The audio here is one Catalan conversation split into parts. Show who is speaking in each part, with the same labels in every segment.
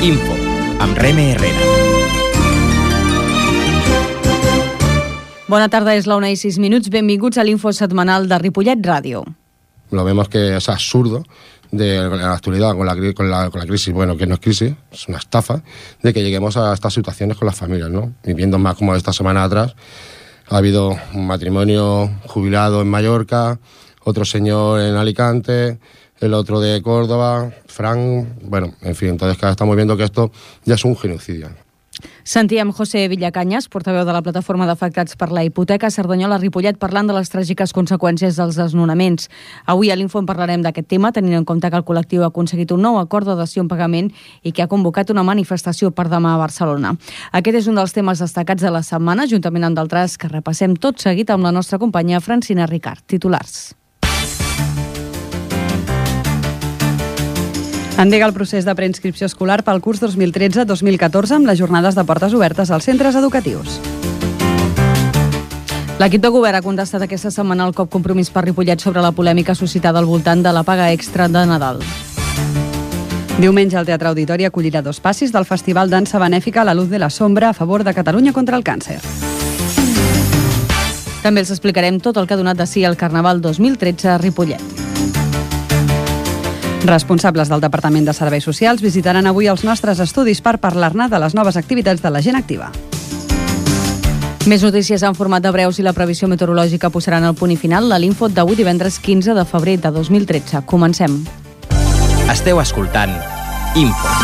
Speaker 1: Info, amb Reme Herrera.
Speaker 2: Bona tarda, és la 1:06. Benvinguts a l'Info setmanal de Ripollet Ràdio.
Speaker 3: Lo vemos que es absurdo de la actualidad con la crisis, bueno, que no es crisis, es una estafa, de que lleguemos a estas situaciones con las familias, ¿no? Y viendo más como esta semana atrás, ha habido un matrimonio jubilado en Mallorca, otro señor en Alicante, el otro de Córdoba, Fran, bueno, en fin, entonces estamos viendo que esto ya es un genocidio.
Speaker 2: Sentíem José Villacanyes, portaveu de la plataforma d'afectats per la hipoteca Cerdanyola-Ripollet, parlant de les tràgiques conseqüències dels desnonaments. Avui a l'Info en parlarem d'aquest tema, tenint en compte que el col·lectiu ha aconseguit un nou acord de dació en pagament i que ha convocat una manifestació per demà a Barcelona. Aquest és un dels temes destacats de la setmana, juntament amb d'altres que repassem tot seguit amb la nostra companya Francina Ricard. Titulars.
Speaker 4: Endega el procés de preinscripció escolar pel curs 2013-2014 amb les jornades de portes obertes als centres educatius.
Speaker 2: L'equip de govern ha contestat aquesta setmana el cop Compromís per Ripollet sobre la polèmica suscitada al voltant de la paga extra de Nadal.
Speaker 4: Diumenge el Teatre Auditori acollirà 2 passis del Festival Dansa Benèfica La Luz de la Sombra a favor de Catalunya contra el càncer.
Speaker 2: També els explicarem tot el que ha donat de si el Carnaval 2013 a Ripollet.
Speaker 4: Responsables del Departament de Serveis Socials visitaran avui els nostres estudis per parlar-ne de les noves activitats de la gent activa.
Speaker 2: Més notícies en format de breus i la previsió meteorològica posaran el punt i final a l'Info d'avui divendres 15 de febrer de 2013. Comencem.
Speaker 1: Esteu escoltant Info.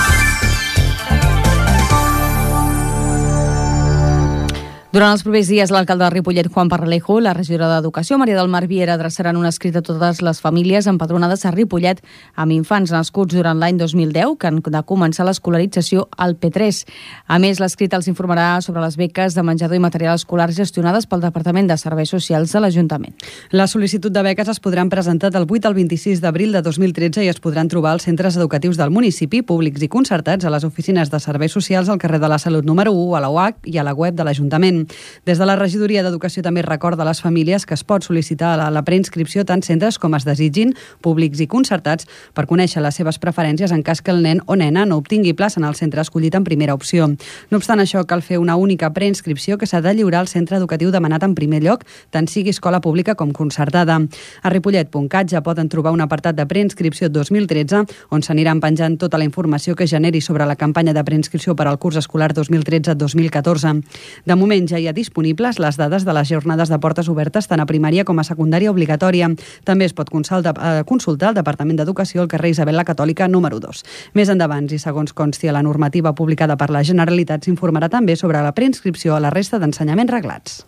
Speaker 2: Durant els propers dies, l'alcalde de Ripollet, Juan Parralejo, la regidora d'Educació, Maria del Mar Viera, adreçaran un escrit a totes les famílies empadronades a Ripollet amb infants nascuts durant l'any 2010 que han de començar l'escolarització al P3. A més, l'escrit els informarà sobre les beques de menjador i material escolar gestionades pel Departament de Serveis Socials de l'Ajuntament.
Speaker 4: La sol·licitud de beques es podran presentar del 8 al 26 d'abril de 2013 i es podran trobar als centres educatius del municipi, públics i concertats, a les oficines de Serveis Socials al carrer de la Salut número 1, a la UAC i a la web de l'Ajuntament. Des de la regidoria d'Educació també recorda a les famílies que es pot sol·licitar la preinscripció tant centres com es desitgin, públics i concertats, per conèixer les seves preferències en cas que el nen o nena no obtingui plaça en el centre escollit en primera opció. No obstant això, cal fer una única preinscripció que s'ha de lliurar al centre educatiu demanat en primer lloc, tant sigui escola pública com concertada. A ripollet.cat ja poden trobar un apartat de preinscripció 2013 on s'aniran penjant tota la informació que generi sobre la campanya de preinscripció per al curs escolar 2013-2014. De moment ja hi ha disponibles les dades de les jornades de portes obertes tant a primària com a secundària obligatòria. També es pot consultar al Departament d'Educació al carrer Isabel la Catòlica número 2. Més endavant, i segons consti a la normativa publicada per la Generalitat, s'informarà també sobre la preinscripció a la resta d'ensenyaments reglats.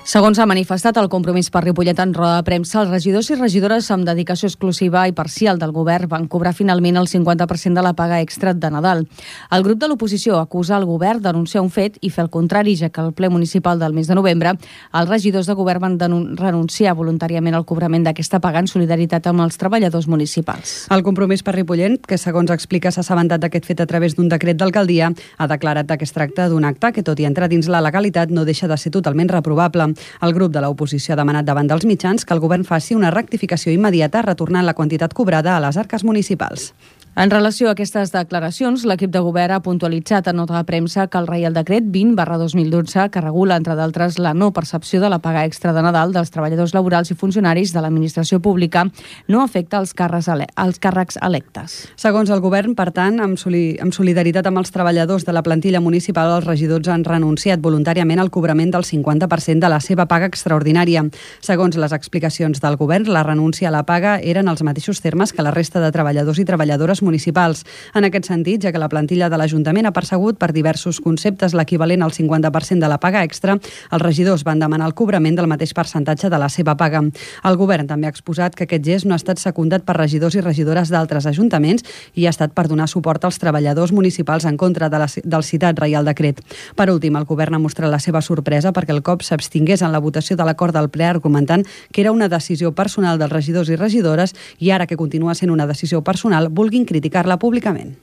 Speaker 2: Segons ha manifestat el Compromís per Ripollet en roda de premsa, els regidors i regidores amb dedicació exclusiva i parcial del govern van cobrar finalment el 50% de la paga extra de Nadal. El grup de l'oposició acusa el govern de denunciar un fet i fer el contrari, ja que al ple municipal del mes de novembre els regidors de govern van renunciar voluntàriament al cobrament d'aquesta paga en solidaritat amb els treballadors municipals.
Speaker 4: El Compromís per Ripollet, que segons explica s'ha assabentat d'aquest fet a través d'un decret d'alcaldia, ha declarat que es tracta d'un acte que, tot i entrar dins la legalitat, no deixa de ser totalment reprovable. El grup de l'oposició ha demanat davant dels mitjans que el govern faci una rectificació immediata retornant la quantitat cobrada a les arques municipals.
Speaker 2: En relació a aquestes declaracions, l'equip de govern ha puntualitzat en nota de premsa que el Reial Decret 20/2012, que regula, entre d'altres, la no percepció de la paga extra de Nadal dels treballadors laborals i funcionaris de l'administració pública, no afecta els càrrecs electes.
Speaker 4: Segons el govern, per tant, amb solidaritat amb els treballadors de la plantilla municipal, els regidors han renunciat voluntàriament al cobrament del 50% de la seva paga extraordinària. Segons les explicacions del govern, la renúncia a la paga eren els mateixos termes que la resta de treballadors i treballadores municipals. En aquest sentit, ja que la plantilla de l'Ajuntament ha percebut per diversos conceptes l'equivalent al 50% de la paga extra, els regidors van demanar el cobrament del mateix percentatge de la seva paga. El govern també ha exposat que aquest gest no ha estat secundat per regidors i regidores d'altres ajuntaments i ha estat per donar suport als treballadors municipals en contra del citat Reial Decret. Per últim, el govern ha mostrat la seva sorpresa perquè el COP s'abstingués en la votació de l'acord del ple argumentant que era una decisió personal dels regidors i regidores i ara que continua sent una decisió personal vulguin criticar-la públicament.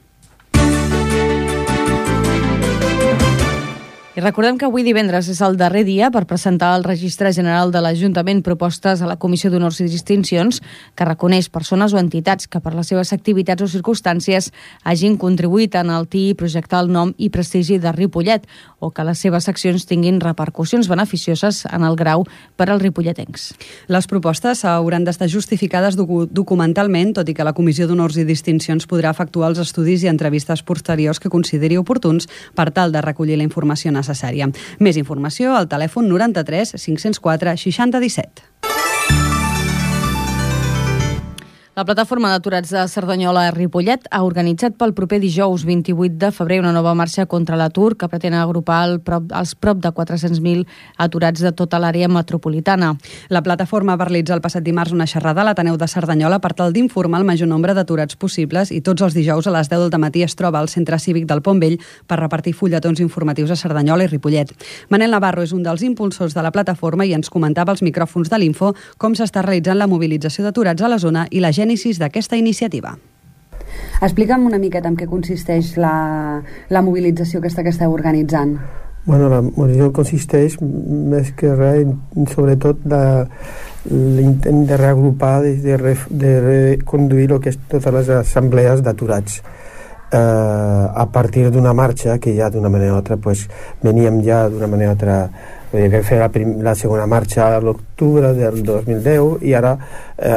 Speaker 2: I recordem que avui divendres és el darrer dia per presentar al Registre General de l'Ajuntament propostes a la Comissió d'Honors i Distincions que reconeix persones o entitats que per les seves activitats o circumstàncies hagin contribuït a enaltir i projectar el nom i prestigi de Ripollet o que les seves accions tinguin repercussions beneficioses en el grau per als ripolletencs.
Speaker 4: Les propostes hauran d'estar justificades documentalment, tot i que la Comissió d'Honors i Distincions podrà efectuar els estudis i entrevistes posteriors que consideri oportuns per tal de recollir la informació necessària. Més informació al telèfon 93 504 60 17.
Speaker 2: La plataforma d'aturats de Cerdanyola Ripollet ha organitzat pel proper dijous 28 de febrer una nova marxa contra l'atur que pretén agrupar els prop de 400.000 aturats de tota l'àrea metropolitana.
Speaker 4: La plataforma va realitzar el passat dimarts una xerrada a l'Ateneu de Cerdanyola per tal d'informar el major nombre d'aturats possibles i tots els dijous a les 10 del matí es troba al Centre Cívic del Pont Vell per repartir fulletons informatius a Cerdanyola i Ripollet. Manel Navarro és un dels impulsors de la plataforma i ens comentava als micròfons de l'Info com s'està realitzant la mobilització d'aturats a la zona i la gènesis d'aquesta iniciativa.
Speaker 5: Explica'm una miqueta en què consisteix la mobilització aquesta que esteu organitzant.
Speaker 6: Bueno, la mobilització consisteix més que res, sobretot l'intent de reagrupar, de reconduir el que és totes les assemblees d'aturats. A partir d'una marxa que ja d'una manera o altra veníem ja d'una manera o altra vam fer la segona marxa a l'octubre del 2010 i ara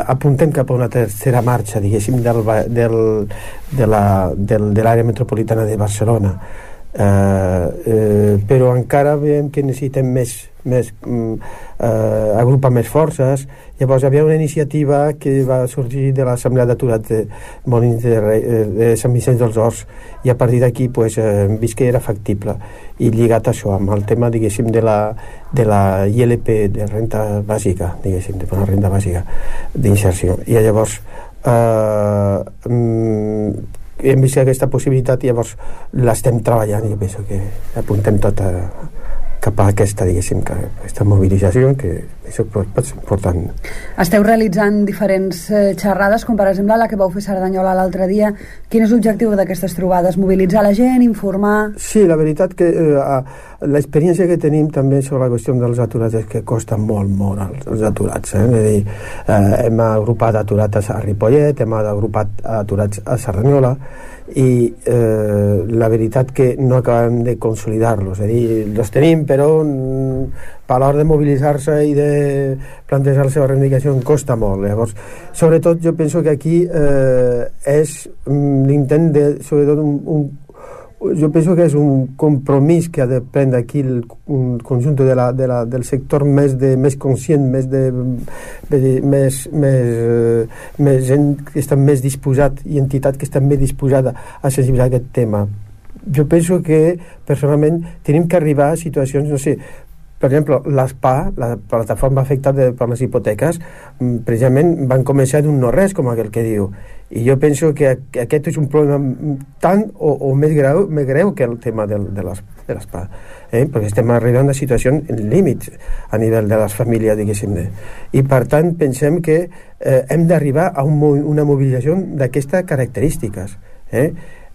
Speaker 6: apuntem cap a una tercera marxa, diguéssim, de l'àrea metropolitana de Barcelona. Però encara veiem que necessitem agrupar més forces. Llavors hi havia una iniciativa que va sorgir de l'Assemblea d'Aturats de Molins de Sant Vicenç dels Horts i a partir d'aquí hem vist que era factible i lligat això amb el tema, diguéssim, de la ILP de renta bàsica, diguéssim, de una renda bàsica d'inserció. I llavors hem vist aquesta possibilitat i llavors l'estem treballant i jo penso que apuntem tot cap a aquesta, diguéssim, aquesta mobilització que això pot ser important.
Speaker 5: Esteu realitzant diferents xerrades, com per exemple la que vau fer a Cerdanyola l'altre dia. Quin és l'objectiu d'aquestes trobades? Mobilitzar la gent, informar?
Speaker 6: Sí, la veritat que l'experiència que tenim també sobre la qüestió dels aturats és que costa molt els aturats. És a dir, hem agrupat aturats a Ripollet, hem agrupat aturats a Cerdanyola i la veritat que no acabem de consolidar-los, és a dir, els tenim però a l'hora de mobilitzar-se i de plantejar la seva reivindicació costa molt. Llavors, sobretot jo penso que aquí és l'intent de, sobretot jo penso que és un compromís que ha de prendre aquí el conjunt del sector més conscient, més gent que està més disposat i entitat que està més disposada a sensibilitzar aquest tema. Jo penso que personalment tenim que arribar a situacions, no sé, per exemple, l'ASPA, la plataforma afectada per les hipoteques, precisament van començar d'un no res, com aquell que diu. I jo penso que aquest és un problema tant o més greu que el tema de l'ASPA, perquè estem arribant a situacions límits a nivell de les famílies, diguéssim. I per tant pensem que hem d'arribar a una mobilització d'aquestes característiques.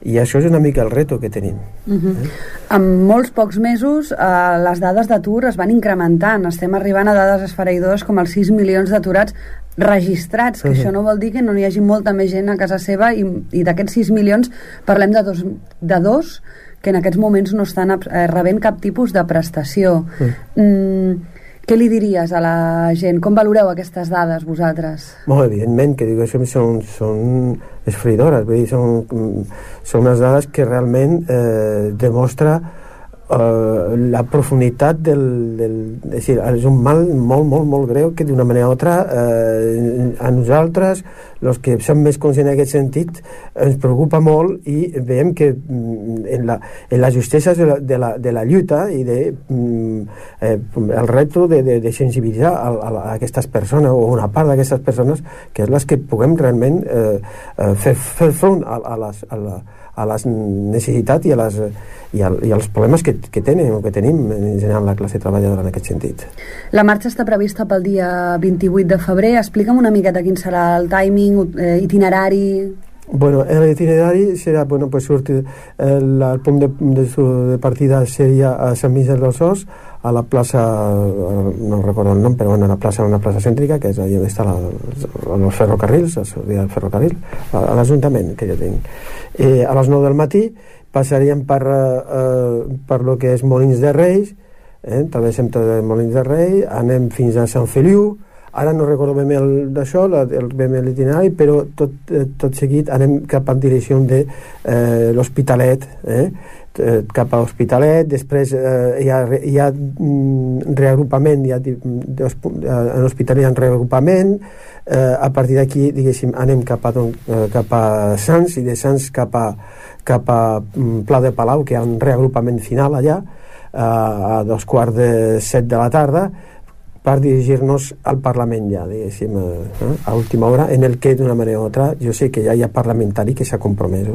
Speaker 6: I això és una mica el reto que tenim.
Speaker 5: En molts pocs mesos les dades d'atur es van incrementant. Estem arribant a dades esfereïdores com els 6 milions d'aturats registrats, que això no vol dir que no hi hagi molta més gent a casa seva i d'aquests 6 milions parlem de dos que en aquests moments no estan rebent cap tipus de prestació. Què li diries a la gent? Com valoreu aquestes dades vosaltres?
Speaker 6: Molt evidentment que dic, això són esfereïdores, vull dir, són unes dades que realment demostra la profunditat és un mal molt greu que d'una manera o altra a nosaltres, els que som més conscients en aquest sentit, ens preocupa molt i veiem que en la justesa de la lluita i el repte de sensibilitzar a aquestes persones o una part d'aquestes persones que és les que puguem realment fer front a les necessitats i als problemes que tenen o que tenim en general la classe treballadora en aquest sentit.
Speaker 5: La marxa està prevista pel dia 28 de febrer. Explica'm una miqueta quin serà el timing, itinerari.
Speaker 6: Bueno, l'itinerari serà, bueno, pues sortir, el punt de partida seria a Sant Vicenç dels Horts, a la plaça, no recordo el nom, però bueno, una plaça cèntrica, que és allà on està els ferrocarrils, el ferrocarril, a l'Ajuntament que jo tinc. A les 9 del matí passaríem per lo que és Molins de Rei, travessem tot de Molins de Rei, anem fins a Sant Feliu. Ara no recordo ben bé d'això, l'itinerari, però tot seguit anem cap a direcció de l'Hospitalet, cap a l'Hospitalet. Després hi ha reagrupament, en l'Hospitalet hi ha reagrupament. A partir d'aquí, diguéssim, anem cap a Sants, i de Sants cap a Pla de Palau, que hi ha un reagrupament final allà, a 2:45 de la tarda, per dirigir-nos al Parlament ja, diguéssim, a última hora, en el que d'una manera o altra jo sé que ja hi ha parlamentari que s'ha compromès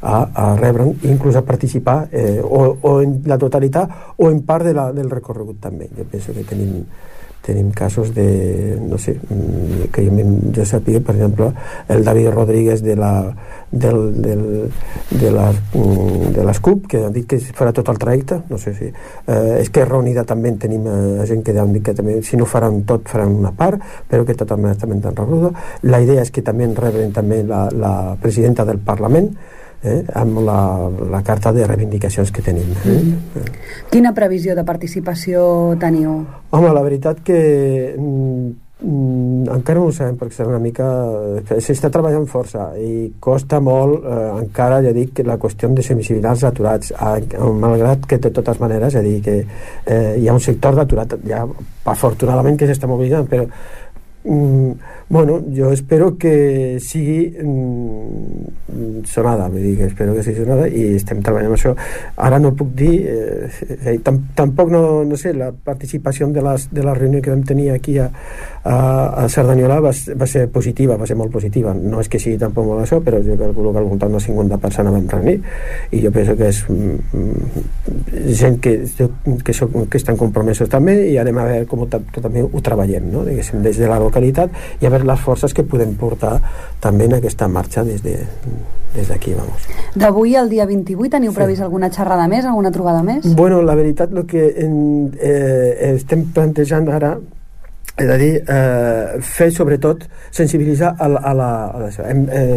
Speaker 6: a rebre'n, inclús a participar o en la totalitat o en part del recorregut també. Jo penso que tenim casos de, no sé, que jo sàpiga, per exemple, el David Rodríguez de les CUP, que han dit que farà tot el trajecte, no sé si Esquerra Unida també tenim gent que han dit que també, si no faran tot, faran una part, però que totalment també tan rebuda. La idea és que també rebren també la presidenta del Parlament, amb la carta de reivindicacions que tenim.
Speaker 5: Quina previsió de participació teniu?
Speaker 6: Home, la veritat que encara no ho sabem, perquè serà una mica... s'està treballant força i costa molt, encara, ja dic, la qüestió de sensibilitzar els aturats, malgrat que de totes maneres, ja dic, que hi ha un sector d'aturat, ja afortunadament que s'està mobilitzant, però bueno, jo espero que sigui sonada, vull dir que espero que sigui sonada i estem treballant amb això. Ara no puc dir tampoc no sé, la participació de la reunió que vam tenir aquí a Cerdanyola va ser positiva, va ser molt positiva, no és que sigui tampoc molt això, però jo calculo que al voltant de 50 persones vam reunir i jo penso que és gent que estan compromesos també, i anem a veure com també ho treballem, no? Diguéssim, des de la localitat, i a veure les forces que podem portar també en aquesta marxa des d'aquí, vamos.
Speaker 5: D'avui al dia 28 teniu previst alguna xerrada més, alguna trobada més? Bueno,
Speaker 6: la veritat, el que estem plantejant ara és a dir, fer sobretot sensibilitzar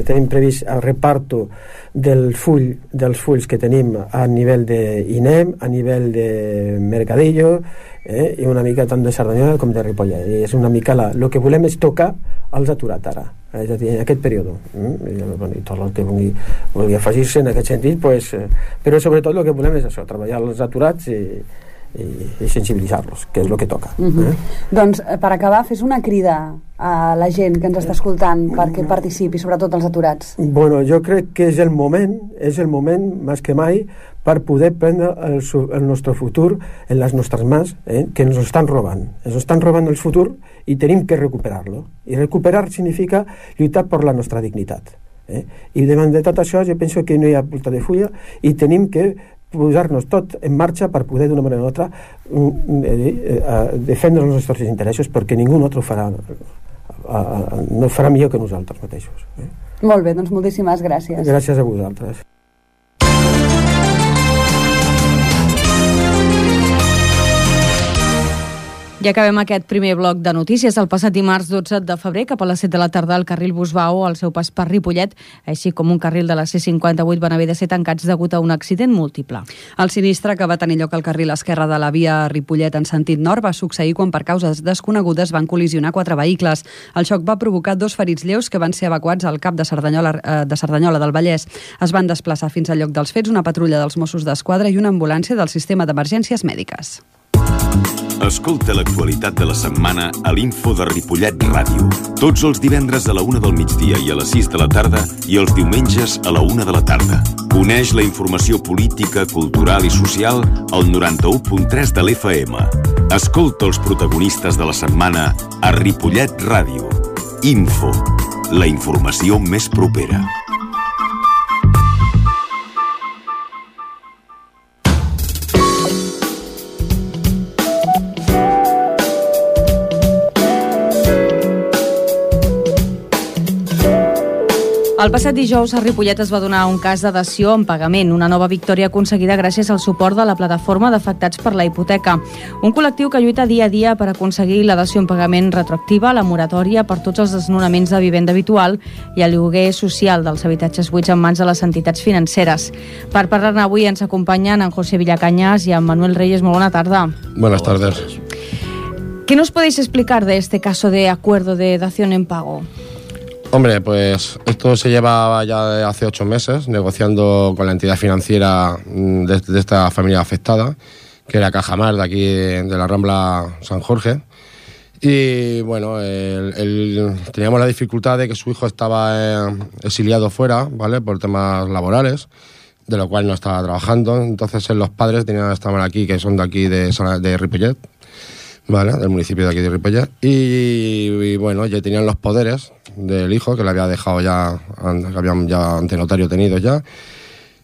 Speaker 6: tenim previst el reparto dels fulls que tenim a nivell d'INEM, a nivell de Mercadillo, i una mica tant de Cerdanyola com de Ripollet, i és una mica el que volem és tocar els aturats ara, és a dir, en aquest període, i tot el que vulgui afegir-se en aquest sentit, pues, però sobretot el que volem és això, treballar els aturats i sensibilitzar-los, que és el que toca.
Speaker 5: Doncs, per acabar, fes una crida a la gent que ens està escoltant perquè participi, sobretot els aturats.
Speaker 6: Bueno, jo crec que és el moment més que mai, per poder prendre el nostre futur en les nostres mans, que ens estan robant. Ens estan robant el futur i tenim que recuperar-lo. I recuperar significa lluitar per la nostra dignitat. I davant de tot això jo penso que no hi ha volta de fulla i tenim que posar-nos tot en marxa per poder d'una manera o altra defendre els nostres interessos, perquè ningú altre no farà millor que nosaltres mateixos.
Speaker 5: Molt bé, doncs moltíssimes gràcies.
Speaker 6: Gràcies a vosaltres.
Speaker 2: Ja acabem aquest primer bloc de notícies. El passat dimarts 12 de febrer, cap a les 7 de la tarda, el carril Busbao, al seu pas per Ripollet, així com un carril de la C58, van haver de ser tancats degut a un accident múltiple.
Speaker 4: El sinistre que va tenir lloc al carril esquerre de la via Ripollet en sentit nord va succeir quan per causes desconegudes van col·lisionar 4 vehicles. El xoc va provocar 2 ferits lleus que van ser evacuats al CAP de Cerdanyola del Vallès. Es van desplaçar fins al lloc dels fets una patrulla dels Mossos d'Esquadra i una ambulància del sistema d'emergències mèdiques.
Speaker 7: Escolta l'actualitat de la setmana a l'Info de Ripollet Ràdio. Tots els divendres a la 1 del migdia i a les 6 de la tarda i els diumenges a la 1 de la tarda. Coneix la informació política, cultural i social al 91.3 de l'FM. Escolta els protagonistes de la setmana a Ripollet Ràdio. Info, la informació més propera.
Speaker 2: El passat dijous a Ripollet es va donar un cas de dació en pagament, una nova victòria aconseguida gràcies al suport de la plataforma d'afectats per la hipoteca. Un col·lectiu que lluita dia a dia per aconseguir la dació en pagament retroactiva, la moratòria per tots els desnonaments de vivenda habitual i el lloguer social dels habitatges buits en mans de les entitats financeres. Per parlar-ne avui ens acompanyen en José Villacañas y en Manuel Reyes. Muy buena tarde.
Speaker 3: Buenas tardes.
Speaker 2: ¿Qué nos podéis explicar de este caso de acuerdo de dación en pago?
Speaker 3: Hombre, pues esto se lleva ya de hace 8 meses negociando con la entidad financiera de esta familia afectada, que era Cajamar, de aquí de la Rambla San Jorge. Y bueno, teníamos la dificultad de que su hijo estaba exiliado fuera, ¿vale?, por temas laborales, de lo cual no estaba trabajando. Entonces los padres estaban aquí, que son de aquí de Ripollet, ¿vale?, del municipio de aquí de Ripollet, y bueno, ya tenían los poderes del hijo, que le había dejado ya, que habían ya ante notario tenidos ya,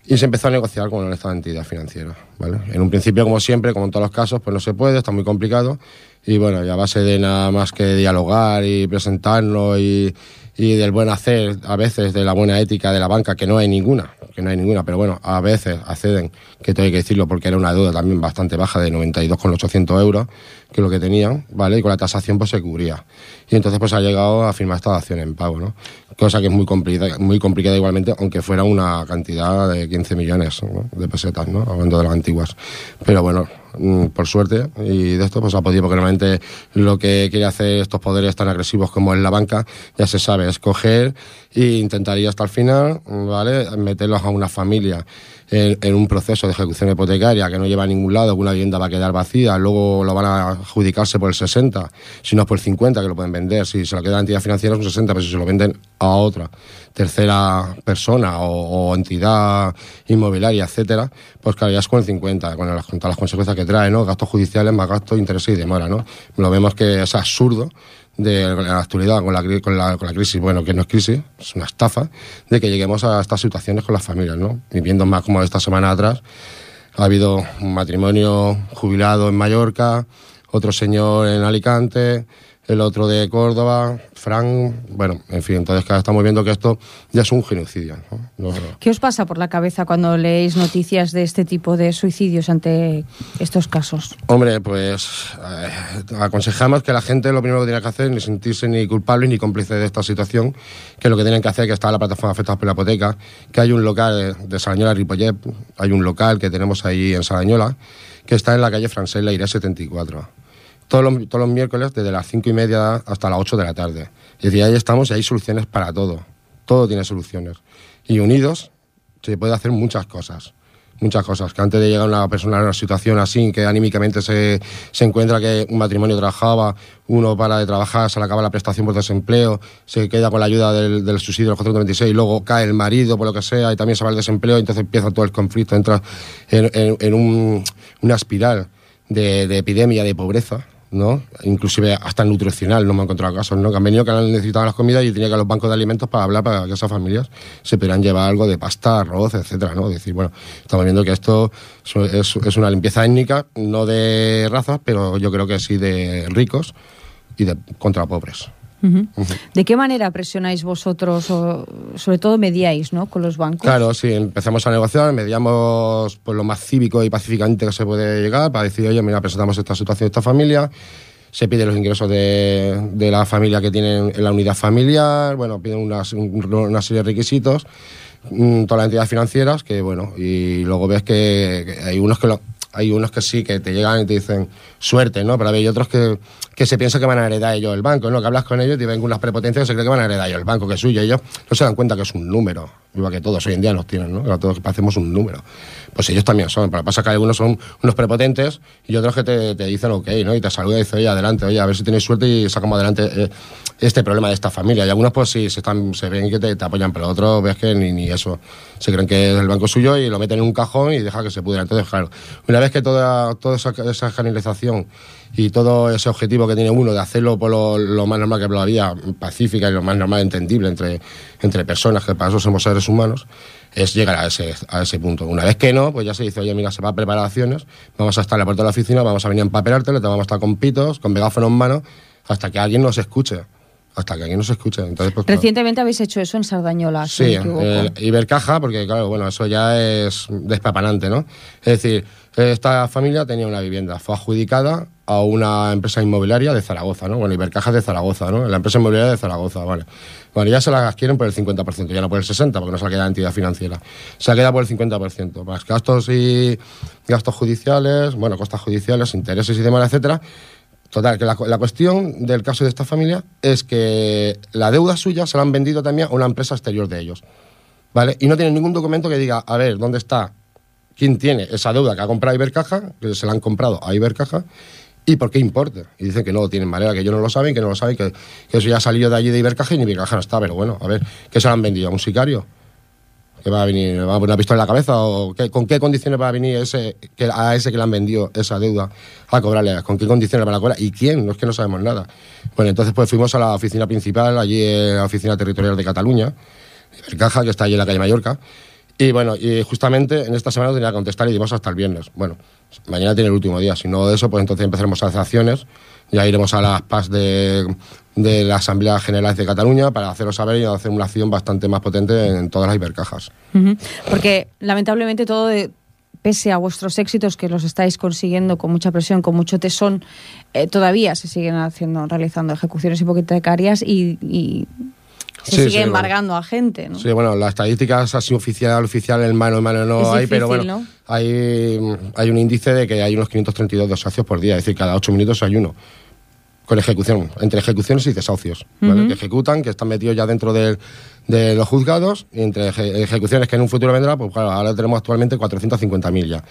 Speaker 3: y se empezó a negociar con esta entidad financiera, ¿vale? En un principio, como siempre, como en todos los casos, pues no se puede, está muy complicado, y bueno, y a base de nada más que dialogar y presentarnos y del buen hacer, a veces de la buena ética de la banca, que no hay ninguna, pero bueno, a veces acceden, que tengo que decirlo porque era una deuda también bastante baja de 92,800 euros, que es lo que tenían, ¿vale? Y con la tasación pues se cubría. Y entonces pues ha llegado a firmar esta dación en pago, ¿no? Cosa que es muy complicada igualmente, aunque fuera una cantidad de 15 millones, ¿no?, de pesetas, ¿no?, hablando de las antiguas. Pero bueno, por suerte, y de esto pues ha podido, porque realmente lo que quiere hacer estos poderes tan agresivos como es la banca, ya se sabe, es coger e intentar ir hasta el final, ¿vale?, meterlos a una familia en un proceso de ejecución hipotecaria que no lleva a ningún lado, que una vivienda va a quedar vacía, luego lo van a adjudicarse por el 60, si no es por el 50, que lo pueden vender, si se lo queda la entidad financiera es un 60, pero si se lo venden a otra tercera persona o entidad inmobiliaria, etcétera, pues claro, ya es con el 50, con todas las consecuencias que trae, ¿no?, gastos judiciales más gastos, intereses y demora, ¿no? Lo vemos que es absurdo de la actualidad con la crisis, bueno, que no es crisis, es una estafa, de que lleguemos a estas situaciones con las familias, ¿no? Y viendo más como esta semana atrás, ha habido un matrimonio jubilado en Mallorca, otro señor en Alicante, el otro de Córdoba, Fran, bueno, en fin, entonces estamos viendo que esto ya es un genocidio, ¿no?
Speaker 2: ¿Qué os pasa por la cabeza cuando leéis noticias de este tipo de suicidios ante estos casos? Hombre,
Speaker 3: pues aconsejamos que la gente lo primero que tiene que hacer es ni sentirse ni culpable ni cómplice de esta situación, que lo que tienen que hacer, que está la plataforma afectados por la hipoteca, que hay un local de Sarañola, Ripollet, hay un local que tenemos ahí en Sarañola, que está en la calle Francés Leiré 74. Todos los miércoles, desde las 5:30 hasta las 8 de la tarde. Es decir, ahí estamos y hay soluciones para todo. Todo tiene soluciones. Y unidos se puede hacer muchas cosas. Muchas cosas. Que antes de llegar una persona a una situación así, que anímicamente se encuentra que un matrimonio trabajaba, uno para de trabajar, se le acaba la prestación por desempleo, se queda con la ayuda del subsidio del 426, luego cae el marido por lo que sea y también se va al desempleo, y entonces empieza todo el conflicto, entra en una espiral de epidemia, de pobreza, ¿no? Inclusive hasta nutricional, no me he encontrado casos, ¿no?, que han venido, que han necesitado las comidas y tenía que ir a los bancos de alimentos para hablar, para que esas familias se pudieran llevar algo de pasta, arroz, etcétera, ¿no? Es decir, bueno, estamos viendo que esto es una limpieza étnica, no de razas, pero yo creo que sí de ricos y contra pobres.
Speaker 2: ¿De qué manera presionáis vosotros, o sobre todo mediáis, ¿no?, con los bancos?
Speaker 3: Claro, sí, empezamos a negociar, mediamos pues lo más cívico y pacíficamente que se puede llegar para decir, oye, mira, presentamos esta situación de esta familia, se piden los ingresos de la familia que tienen en la unidad familiar, bueno, piden una serie de requisitos, todas las entidades financieras, que bueno, y luego ves que hay unos que sí, que te llegan y te dicen suerte, ¿no? Pero hay otros que se piensan que van a heredar ellos el banco, ¿no? Que hablas con ellos y te ven con unas prepotencias que se creen que van a heredar ellos el banco, que es suyo. Ellos no se dan cuenta que es un número, igual que todos hoy en día nos tienen, ¿no? Que todos hacemos un número. Pues ellos también son. Pero pasa que algunos son unos prepotentes y otros que te dicen ok, ¿no? Y te saludan y dicen, oye, adelante, oye, a ver si tenéis suerte y sacamos adelante este problema de esta familia. Y algunos pues sí, se ven que te apoyan, pero otros ves que ni eso. Se creen que es el banco suyo y lo meten en un cajón y deja que se pudra. Entonces, claro, una vez que toda esa generalización y todo ese objetivo que tiene uno de hacerlo por lo más normal, que es la vía pacífica y lo más normal entendible entre personas, que para eso somos seres humanos, es llegar a ese punto. Una vez que no, pues ya se dice, oye, mira, se va a preparar acciones, vamos a estar en la puerta de la oficina, vamos a venir a empapelarte, te vamos a estar con pitos, con megáfono en mano, hasta que alguien nos escuche. hasta que aquí no se escuche. Entonces, pues,
Speaker 2: recientemente habéis hecho eso en Sardañola,
Speaker 3: sí,
Speaker 2: si no me equivoco.
Speaker 3: Ibercaja, porque claro, bueno, eso ya es despapanante, ¿no? Es decir, esta familia tenía una vivienda, fue adjudicada a una empresa inmobiliaria de Zaragoza, ¿no? Bueno, Ibercaja es de Zaragoza, ¿no? La empresa inmobiliaria de Zaragoza, vale. Bueno, ya se la adquieren por el 50%, ya no por el 60%, porque no se la queda la entidad financiera. Se la queda por el 50%, más gastos judiciales, bueno, costas judiciales, intereses y demás, etcétera. Total, que la cuestión del caso de esta familia es que la deuda suya se la han vendido también a una empresa exterior de ellos, ¿vale? Y no tienen ningún documento que diga, a ver, ¿dónde está? ¿Quién tiene esa deuda que ha comprado Ibercaja, que se la han comprado a Ibercaja, y por qué importe? Y dicen que no lo tienen manera, que ellos no lo saben, que eso ya ha salido de allí de Ibercaja y Ibercaja no está, pero bueno, a ver, ¿qué se lo han vendido? ¿A un sicario? ¿Que va a venir, va a poner una pistola en la cabeza? ¿O con qué condiciones va a venir a ese que le han vendido esa deuda a cobrarle? ¿Con qué condiciones van a cobrar? ¿Y quién? No es que no sabemos nada. Bueno, entonces pues fuimos a la oficina principal, allí en la oficina territorial de Cataluña, Ibercaja, que está allí en la calle Mallorca. Y bueno, y justamente en esta semana tenía que contestar y dimos hasta el viernes. Bueno, mañana tiene el último día. Si no de eso, pues entonces empezaremos a hacer acciones. Ya iremos a las PAS de la Asamblea General de Cataluña para haceros saber y hacer una acción bastante más potente en todas las Ibercajas.
Speaker 2: Porque lamentablemente pese a vuestros éxitos, que los estáis consiguiendo con mucha presión, con mucho tesón, todavía se siguen realizando ejecuciones hipotecarias y se sigue embargando a gente, ¿no?
Speaker 3: Sí, bueno, las estadísticas así oficial, en mano no es hay, difícil, pero bueno, ¿no? hay un índice de que hay unos 532 desahucios por día, es decir, cada 8 minutos hay uno, con ejecución, entre ejecuciones y desahucios, ¿vale? Que ejecutan, que están metidos ya dentro de los juzgados, y entre ejecuciones que en un futuro vendrá, pues claro, ahora tenemos actualmente 450.000 ya,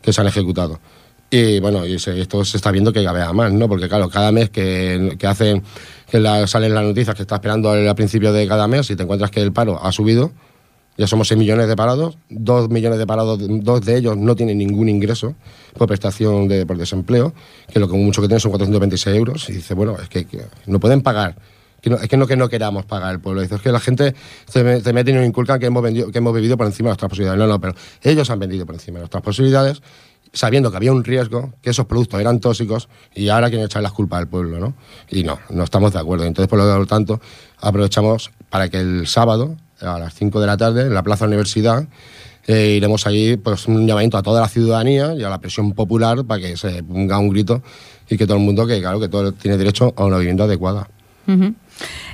Speaker 3: que se han ejecutado. Y bueno, esto se está viendo que cada vez más, ¿no? Porque claro, cada mes que hacen, salen las noticias que está esperando al principio de cada mes, y te encuentras que el paro ha subido, ya somos 6 millones de parados, 2 millones de parados, 2 de ellos no tienen ningún ingreso por prestación por desempleo, que lo que mucho que tienen son 426 euros, y dice, bueno, es que no pueden pagar. Es que no queramos pagar el pueblo. Dice, es que la gente se mete y nos inculca que hemos vivido por encima de nuestras posibilidades. No, pero ellos han vendido por encima de nuestras posibilidades, sabiendo que había un riesgo, que esos productos eran tóxicos, y ahora quieren echar las culpas al pueblo, ¿no? Y no estamos de acuerdo. Entonces, por lo tanto, aprovechamos para que el sábado, a las 5 de la tarde, en la Plaza Universidad, iremos allí, pues, un llamamiento a toda la ciudadanía y a la presión popular para que se ponga un grito y que todo el mundo, que claro, que todo tiene derecho a una vivienda adecuada.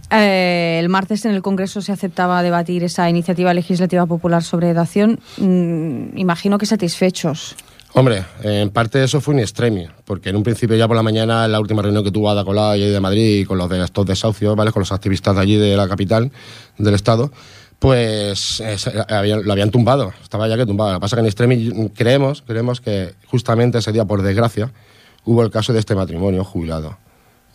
Speaker 2: El martes en el Congreso se aceptaba debatir esa iniciativa legislativa popular sobre dación. Imagino que satisfechos.
Speaker 3: Hombre, en parte eso fue un extremio, porque en un principio ya por la mañana, en la última reunión que tuvo Ada Colau allí de Madrid, con los de estos desahucios, ¿vale?, con los activistas de allí de la capital del Estado, pues lo habían tumbado, estaba ya que tumbado. Lo que pasa es que en extremi creemos que justamente ese día, por desgracia, hubo el caso de este matrimonio jubilado,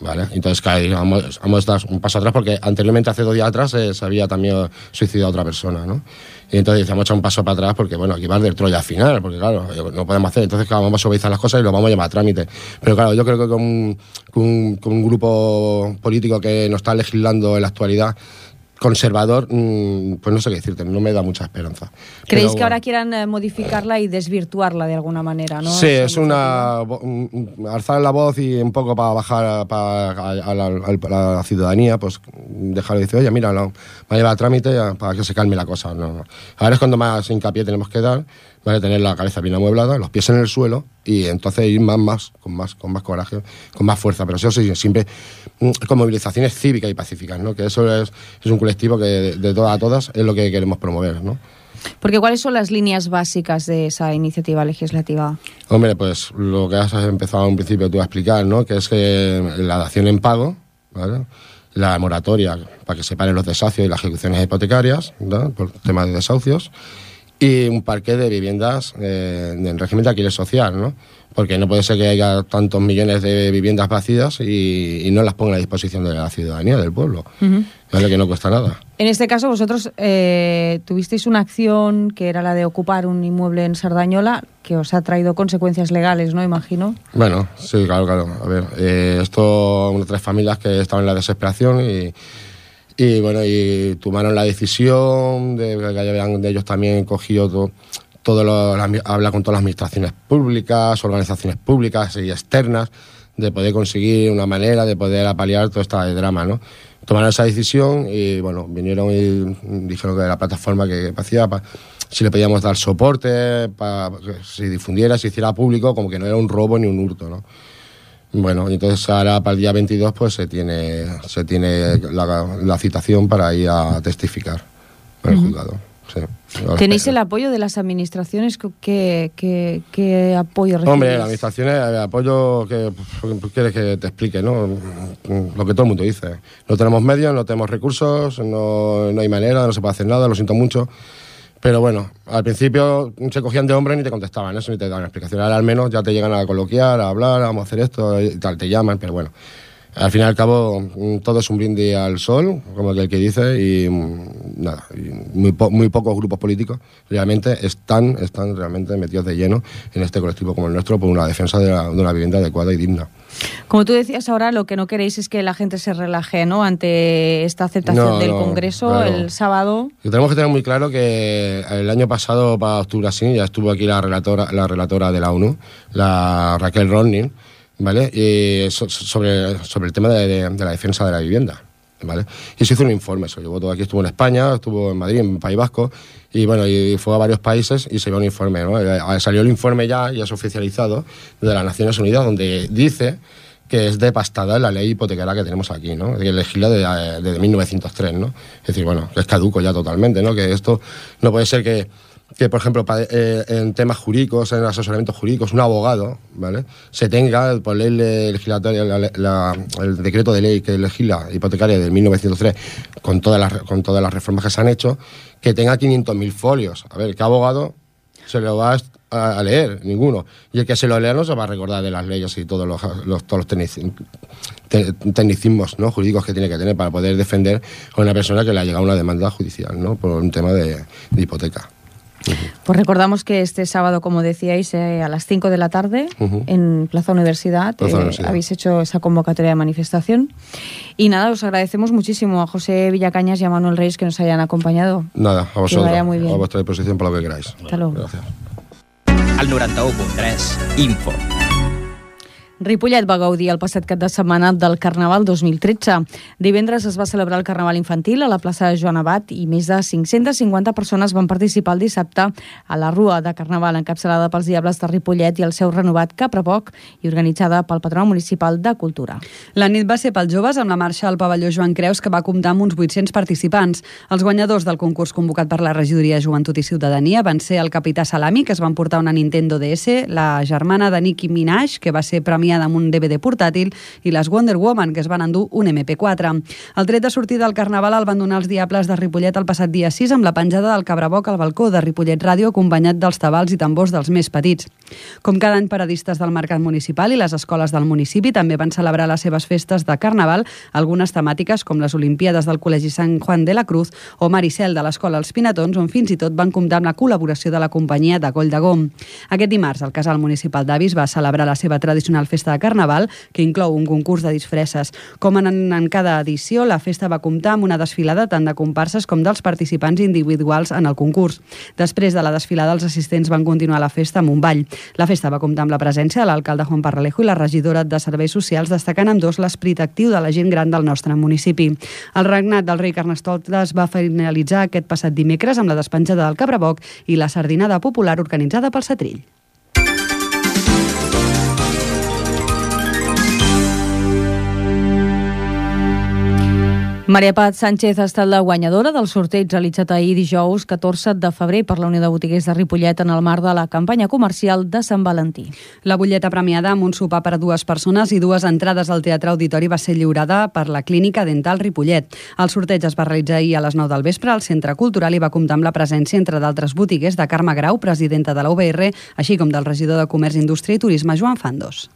Speaker 3: ¿vale? Entonces vamos a dar un paso atrás, porque anteriormente, hace 2 días atrás, se había también suicidado a otra persona, ¿no? Y entonces vamos a echar un paso para atrás, porque bueno, aquí va del Troya al final, porque claro, no podemos hacer. Entonces claro, vamos a suavizar las cosas y lo vamos a llevar a trámite. Pero claro, yo creo que con un grupo político que nos está legislando en la actualidad, conservador, pues no sé qué decirte, no me da mucha esperanza.
Speaker 2: ¿Creéis que ahora quieran modificarla y desvirtuarla de alguna manera, no?
Speaker 3: Sí, es alzar la voz y un poco para bajar a la ciudadanía, pues dejar de decir, oye, mira, va a llevar a trámite para que se calme la cosa. No. Ahora es cuando más hincapié tenemos que dar, ¿vale? Tener la cabeza bien amueblada, los pies en el suelo, y entonces ir con más coraje, con más fuerza, pero eso sí, siempre con movilizaciones cívicas y pacíficas, ¿no? Que eso es un colectivo que de todas a todas es lo que queremos promover, ¿no?
Speaker 2: Porque ¿cuáles son las líneas básicas de esa iniciativa legislativa?
Speaker 3: Hombre, pues lo que has empezado a un principio tú a explicar, ¿no? Que es que la dación en pago, ¿vale?, la moratoria para que se paren los desahucios y las ejecuciones hipotecarias, ¿no?, por temas de desahucios, y un parque de viviendas en régimen de alquiler social, ¿no? Porque no puede ser que haya tantos millones de viviendas vacías y no las pongan a disposición de la ciudadanía, del pueblo, ¿vale?, que no cuesta nada.
Speaker 2: En este caso, vosotros tuvisteis una acción que era la de ocupar un inmueble en Sardañola, que os ha traído consecuencias legales, ¿no?, imagino.
Speaker 3: Bueno, sí, claro. A ver, esto, 3 familias que estaban en la desesperación y bueno, y tomaron la decisión de ellos también cogido habla con todas las administraciones públicas, organizaciones públicas y externas, de poder conseguir una manera de poder apalear todo este drama, ¿no? Tomaron esa decisión y, bueno, vinieron y dijeron que la plataforma que hacía, si le podíamos dar soporte para que se difundiera, se hiciera público, como que no era un robo ni un hurto, ¿no? Bueno, entonces ahora para el día 22 pues se tiene la citación para ir a testificar en el juzgado. Sí.
Speaker 2: ¿Tenéis el apoyo de las administraciones? ¿Qué apoyo recibís?
Speaker 3: Hombre, las administraciones, el apoyo que quieres que te explique, ¿no? Lo que todo el mundo dice. No tenemos medios, no tenemos recursos, no hay manera, no se puede hacer nada, lo siento mucho. Pero bueno, al principio se cogían de hombros y ni te contestaban, eso ni te daban explicación. Ahora al menos ya te llegan a coloquiar, a hablar, vamos a hacer esto y tal, te llaman, pero bueno. Al fin y al cabo, todo es un brindis al sol, como el que dice, y nada, y muy pocos grupos políticos realmente están realmente metidos de lleno en este colectivo como el nuestro por una defensa de una vivienda adecuada y digna.
Speaker 2: Como tú decías ahora, lo que no queréis es que la gente se relaje, ¿no?, ante esta aceptación del Congreso, claro. El sábado. Y tenemos que
Speaker 3: tener muy claro que el año pasado, para octubre así, ya estuvo aquí la relatora de la ONU, la Raquel Ronning, ¿vale? Y sobre el tema de la defensa de la vivienda, ¿vale? Y se hizo un informe, se llevó todo aquí, estuvo en España, estuvo en Madrid, en País Vasco, y bueno, y fue a varios países y se dio un informe, ¿no? Salió el informe ya es oficializado de las Naciones Unidas, donde dice que es devastada la ley hipotecaria que tenemos aquí, ¿no? Que legisla desde 1903, ¿no? Es decir, bueno, es caduco ya totalmente, ¿no? Que esto no puede ser que por ejemplo, en temas jurídicos, en asesoramientos jurídicos, un abogado, ¿vale?, se tenga, por ley legislatoria, el decreto de ley que legisla hipotecaria de 1903, con todas las reformas que se han hecho, que tenga 500.000 folios. A ver, ¿qué abogado se lo va a leer? Ninguno. Y el que se lo lea no se va a recordar de las leyes y todos los tecnicismos, ¿no?, jurídicos que tiene que tener para poder defender a una persona que le ha llegado una demanda judicial, ¿no?, por un tema de hipoteca.
Speaker 2: Pues recordamos que este sábado, como decíais, a las 5 de la tarde, en Plaza Universidad, habéis hecho esa convocatoria de manifestación. Y nada, os agradecemos muchísimo a José Villacañas y a Manuel Reyes que nos hayan acompañado.
Speaker 3: Nada, a vosotros.
Speaker 2: Que vaya muy bien.
Speaker 3: A vuestra disposición para lo que queráis.
Speaker 2: Hasta luego.
Speaker 3: Gracias.
Speaker 1: Al 91.3, Info.
Speaker 2: Ripollet va gaudir el passat cap de setmana del Carnaval 2013. Divendres es va celebrar el Carnaval infantil a la plaça de Joan Abat i més de 550 persones van participar el dissabte a la Rua de Carnaval encapçalada pels Diables de Ripollet i el seu renovat Caprapoc i organitzada pel Patronat Municipal de Cultura.
Speaker 4: La nit va ser pels joves amb la marxa al pavelló Joan Creus que va comptar amb uns 800 participants. Els guanyadors del concurs convocat per la Regidoria de Joventut i Ciutadania van ser el Capità Salami, que es van portar una Nintendo DS, la germana de Nicki Minaj, que va ser premiada amb un DVD portàtil, i les Wonder Woman, que es van endur un MP4. El tret de sortida del Carnaval el van donar els Diables de Ripollet el passat dia 6 amb la penjada del Cabraboc al balcó de Ripollet Ràdio, acompanyat dels tabals i tambors dels més petits. Com cada any, paradistes del Mercat Municipal i les escoles del municipi també van celebrar les seves festes de Carnaval, algunes temàtiques com les Olimpíades del Col·legi Sant Juan de la Cruz o Maricel de l'Escola Els Pinatons, on fins i tot van comptar amb la col·laboració de la companyia de Coll de Gom. Aquest dimarts, el Casal Municipal d'Avis va celebrar la seva tradicional festa de Carnaval, que inclou un concurs de disfresses. Com en cada edició, la festa va comptar amb una desfilada tant de comparses com dels participants individuals en el concurs. Després de la desfilada, els assistents van continuar la festa amb un ball. La festa va comptar amb la presència de l'alcalde Juan Parralejo i la regidora de Serveis Socials, destacant amb dos l'esperit actiu de la gent gran del nostre municipi. El regnat del rei Carnestoltes va finalitzar aquest passat dimecres amb la despenjada del Cabraboc i la sardinada popular organitzada pel Setrill.
Speaker 2: Maria Paz Sánchez ha estat la guanyadora del sorteig realitzat ahir dijous 14 de febrer per la Unió de Botiguers de Ripollet en el marc de la campanya comercial de Sant Valentí.
Speaker 4: La butlleta premiada amb un sopar per a 2 persones i 2 entrades al Teatre Auditori va ser lliurada per la Clínica Dental Ripollet. El sorteig es va realitzar ahir a les 9 del vespre al Centre Cultural i va comptar amb la presència, entre d'altres botiguers, de Carme Grau, presidenta de la UBR, així com del regidor de Comerç, Indústria i Turisme, Joan Fandos.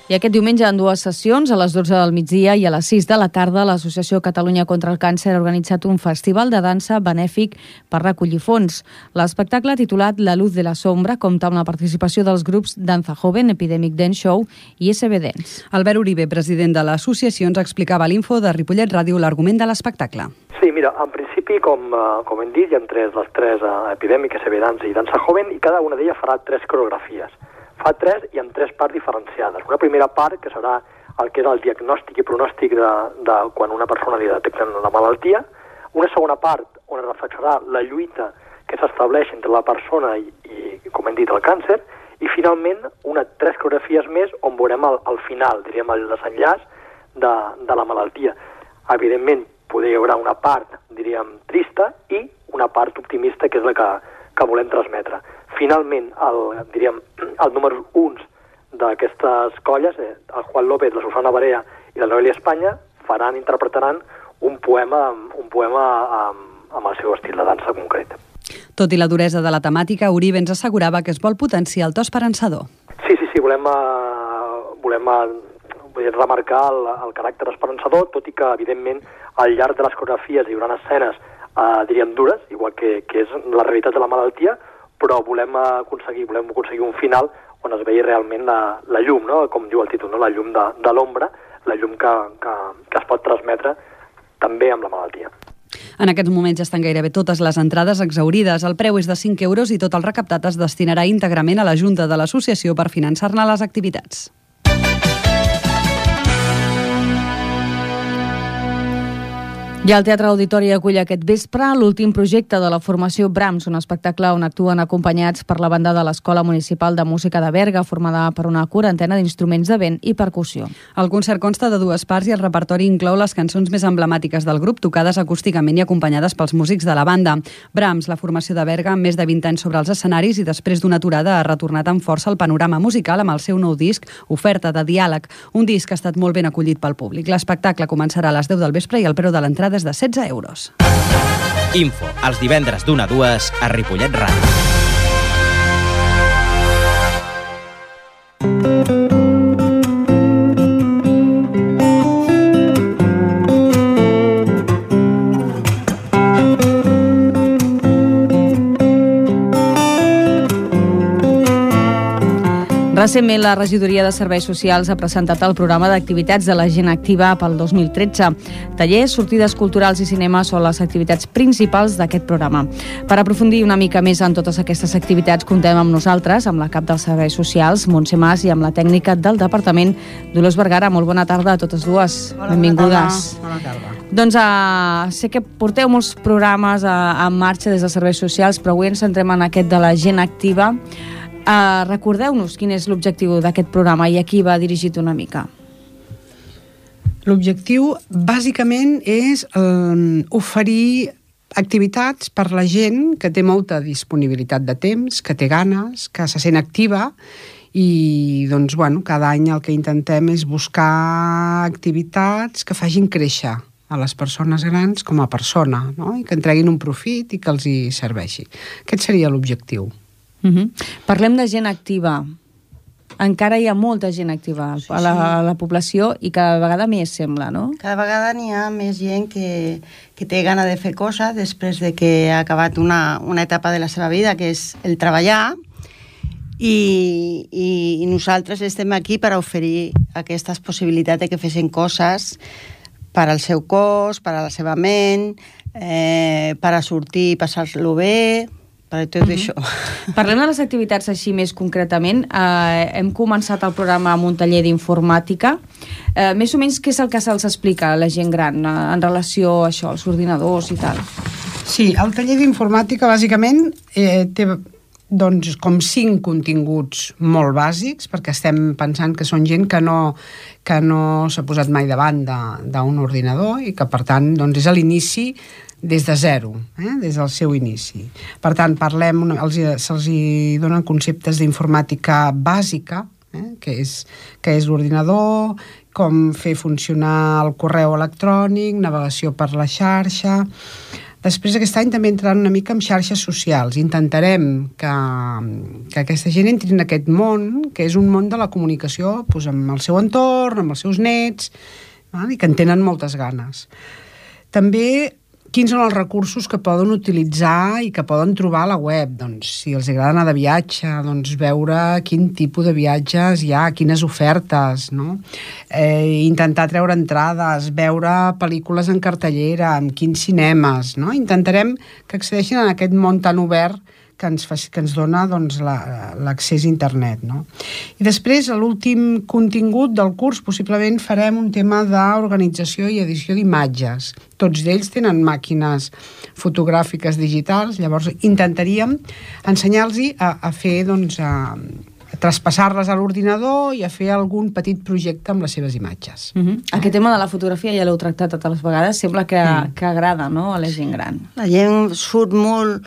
Speaker 2: I aquest diumenge en 2 sessions, a les 12 del migdia i a les 6 de la tarda, l'Associació Catalunya contra el Càncer ha organitzat un festival de dansa benèfic per recollir fons. L'espectacle, titulat La Luz de la Sombra, compta amb la participació dels grups Danza Joven, Epidemic Dance Show i SB Dance.
Speaker 4: Albert Uribe, president de l'associació, ens explicava a l'Info de Ripollet Ràdio l'argument de l'espectacle.
Speaker 8: Sí, mira, en principi, com hem dit, hi ha les tres Epidemic, SB Dance i Danza Joven, i cada una d'elles farà 3 coreografies. fa 3 i amb 3 parts diferenciades. Una primera part, que serà el que és el diagnòstic i pronòstic de quan una persona li detecten la malaltia, una segona part on es reflexionarà la lluita que s'estableix entre la persona i, com hem dit, el càncer, i finalment 3 coreografies més on veurem al final, diríem, el desenllaç de la malaltia. Evidentment, hi haurà una part, diríem, trista i una part optimista, que és la que volem transmetre. Finalment, el número 1 d'aquestes colles, el Juan López, la Susana Barea i la Noelia Espanya, interpretaran un poema amb el seu estil de dansa concret.
Speaker 4: Tot i la duresa de la temàtica, Uribe ens assegurava que es vol potenciar el to esperançador.
Speaker 8: Sí, volem remarcar el caràcter esperançador, tot i que, evidentment, al llarg de les coreografies hi haurà escenes, diríem, dures, igual que és la realitat de la malaltia, però volem aconseguir un final on es vegi realment la llum, no? Com diu el títol, no? La llum de l'ombra, la llum que es pot transmetre també amb la malaltia.
Speaker 4: En aquests moments ja estan gairebé totes les entrades exhaurides. El preu és de 5 euros i tot el recaptat es destinarà íntegrament a la Junta de l'Associació per finançar-ne les activitats.
Speaker 2: I el Teatre Auditori acull aquest vespre l'últim projecte de la formació Brahms, un espectacle on actuen acompanyats per la banda de l'Escola Municipal de Música de Berga, formada per una quarantena d'instruments de vent i percussió.
Speaker 4: El concert consta de 2 parts i el repertori inclou les cançons més emblemàtiques del grup, tocades acústicament i acompanyades pels músics de la banda. Brahms, la formació de Berga, amb més de 20 anys sobre els escenaris i després d'una aturada ha retornat amb força al panorama musical amb el seu nou disc, Oferta de diàleg, un disc que ha estat molt ben acollit pel públic. L'espectacle començarà a les 10 del vespre i el preu de l'entrada és de 16 euros.
Speaker 1: Info, els divendres d'1 a 2 a Ripollet Ràdio.
Speaker 2: Recentment, la Regidoria de Serveis Socials ha presentat el programa d'activitats de la gent activa pel 2013. Tallers, sortides culturals i cinema són les activitats principals d'aquest programa. Per aprofundir una mica més en totes aquestes activitats, contem amb nosaltres, amb la cap dels Serveis Socials, Montse Mas, i amb la tècnica del Departament, Dolors Vergara. Molt bona tarda a totes dues.
Speaker 9: Hola,
Speaker 2: benvingudes.
Speaker 9: Bona tarda.
Speaker 2: Doncs sé que porteu molts programes en marxa des dels Serveis Socials, però avui ens centrem en aquest de la gent activa. Recordeu-nos quin és l'objectiu d'aquest programa i a qui va dirigit una mica.
Speaker 9: L'objectiu, bàsicament, és oferir activitats per la gent que té molta disponibilitat de temps, que té ganes, que se sent activa i, doncs, cada any el que intentem és buscar activitats que facin créixer a les persones grans com a persona, no? I que en treguin un profit i que els hi serveixi. Aquest seria l'objectiu.
Speaker 2: Parlem de gent activa. Encara hi ha molta gent activa a la població i cada vegada més, sembla, no?
Speaker 10: Cada vegada n'hi ha més gent que té gana de fer coses després de que ha acabat una etapa de la seva vida, que és el treballar, i nosaltres estem aquí per oferir aquestes possibilitats de que fessin coses per al seu cos, per a la seva ment, per a sortir i passar-lo bé, per tot això.
Speaker 2: Parlem de les activitats així més concretament. Hem començat el programa amb un taller d'informàtica. Més o menys què és el que se'ls explica a la gent gran en relació a això, als ordinadors i tal?
Speaker 9: Sí, el taller d'informàtica bàsicament té com 5 continguts molt bàsics, perquè estem pensant que són gent que no s'ha posat mai davant d'un ordinador i que, per tant, és a l'inici des de zero, des del seu inici. Per tant, se'ls donen conceptes d'informàtica bàsica, que és l'ordinador, com fer funcionar el correu electrònic, navegació per la xarxa. Després, aquest any també entraran una mica en xarxes socials. Intentarem que aquesta gent entri en aquest món, que és un món de la comunicació amb el seu entorn, amb els seus nets, i que en tenen moltes ganes. També, quins són els recursos que poden utilitzar i que poden trobar a la web? Doncs, si els agrada anar de viatge, veure quin tipus de viatges hi ha, quines ofertes, no? Intentar treure entrades, veure pel·lícules en cartellera, en quins cinemes, no? Intentarem que accedeixin a aquest món tan obert que ens dona doncs, l'accés a internet, no? I després, a l'últim contingut del curs, possiblement farem un tema d'organització i edició d'imatges. Tots d'ells tenen màquines fotogràfiques digitals, llavors intentaríem ensenyar-los a fer, doncs, a traspassar-les a l'ordinador i a fer algun petit projecte amb les seves imatges.
Speaker 2: Aquest tema de la fotografia ja l'heu tractat totes les vegades, sembla que agrada, no?, a la gent gran.
Speaker 10: La gent surt molt